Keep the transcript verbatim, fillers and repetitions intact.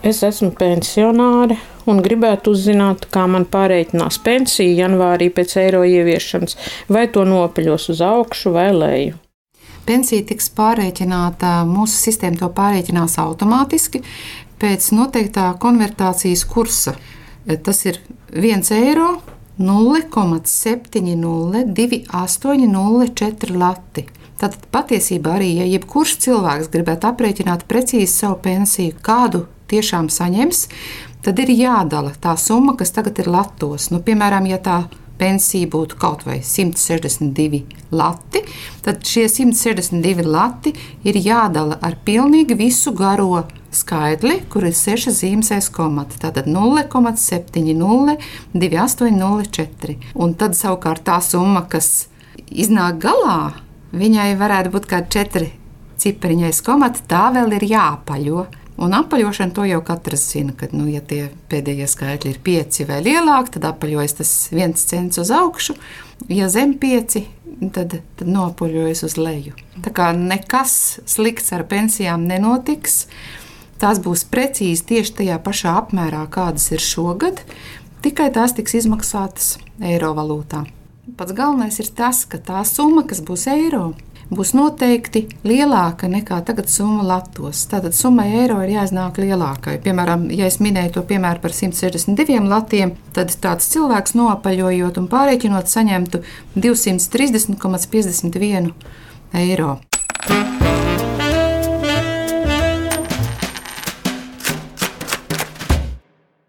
Es esmu pensionāre un gribētu uzzināt, kā man pārreikinās pensiju janvārī pēc eiro ieviešanas, vai to nopaļos uz augšu vai leju. Pensija tiks pārreikināta, mūsu sistēma to pārreikinās automātiski pēc noteiktā konvertācijas kursa. Tas ir viens eiro nulle komats septiņi nulle divi astoņi nulle četri lati. Tātad patiesībā arī, ja jebkurš cilvēks gribētu aprēķināt precīzi savu pensiju, kādu tiešām saņems, tad ir jādala tā summa, kas tagad ir latos. Nu, piemēram, ja tā pensija būtu kaut vai simt sešdesmit divi lati, tad šie simt sešdesmit divi lati ir jādala ar pilnīgi visu garo skaitli, kur ir sešas zīmes aiz komata. Tātad nulle komats septiņi nulle divi astoņi nulle četri. Un tad savukārt tā summa, kas iznāk galā, viņai varētu būt kādi četri cipariņi aiz komata, tā vēl ir jāapaļo. Un apaļošana to jau katrs zina, kad, nu, ja tie pēdējie skaitļi ir pieci vai lielāki, tad apaļojas tas viens cents uz augšu. Ja zem pieci, tad, tad noapaļojas uz leju. Tā kā nekas slikts ar pensijām nenotiks. Tās būs precīzi tieši tajā pašā apmērā, kādas ir šogad, tikai tās tiks izmaksātas eiro valūtā. Pats galvenais ir tas, ka tā summa, kas būs eiro, būs noteikti lielāka nekā tagad summa latos. Tātad summai eiro ir jāiznāk lielākai. Piemēram, ja es minēju to piemēru par simt sešdesmit diviem latiem, tad tāds cilvēks noapaļojot un pārreikinot saņemtu divsimt trīsdesmit komats piecdesmit viens eiro.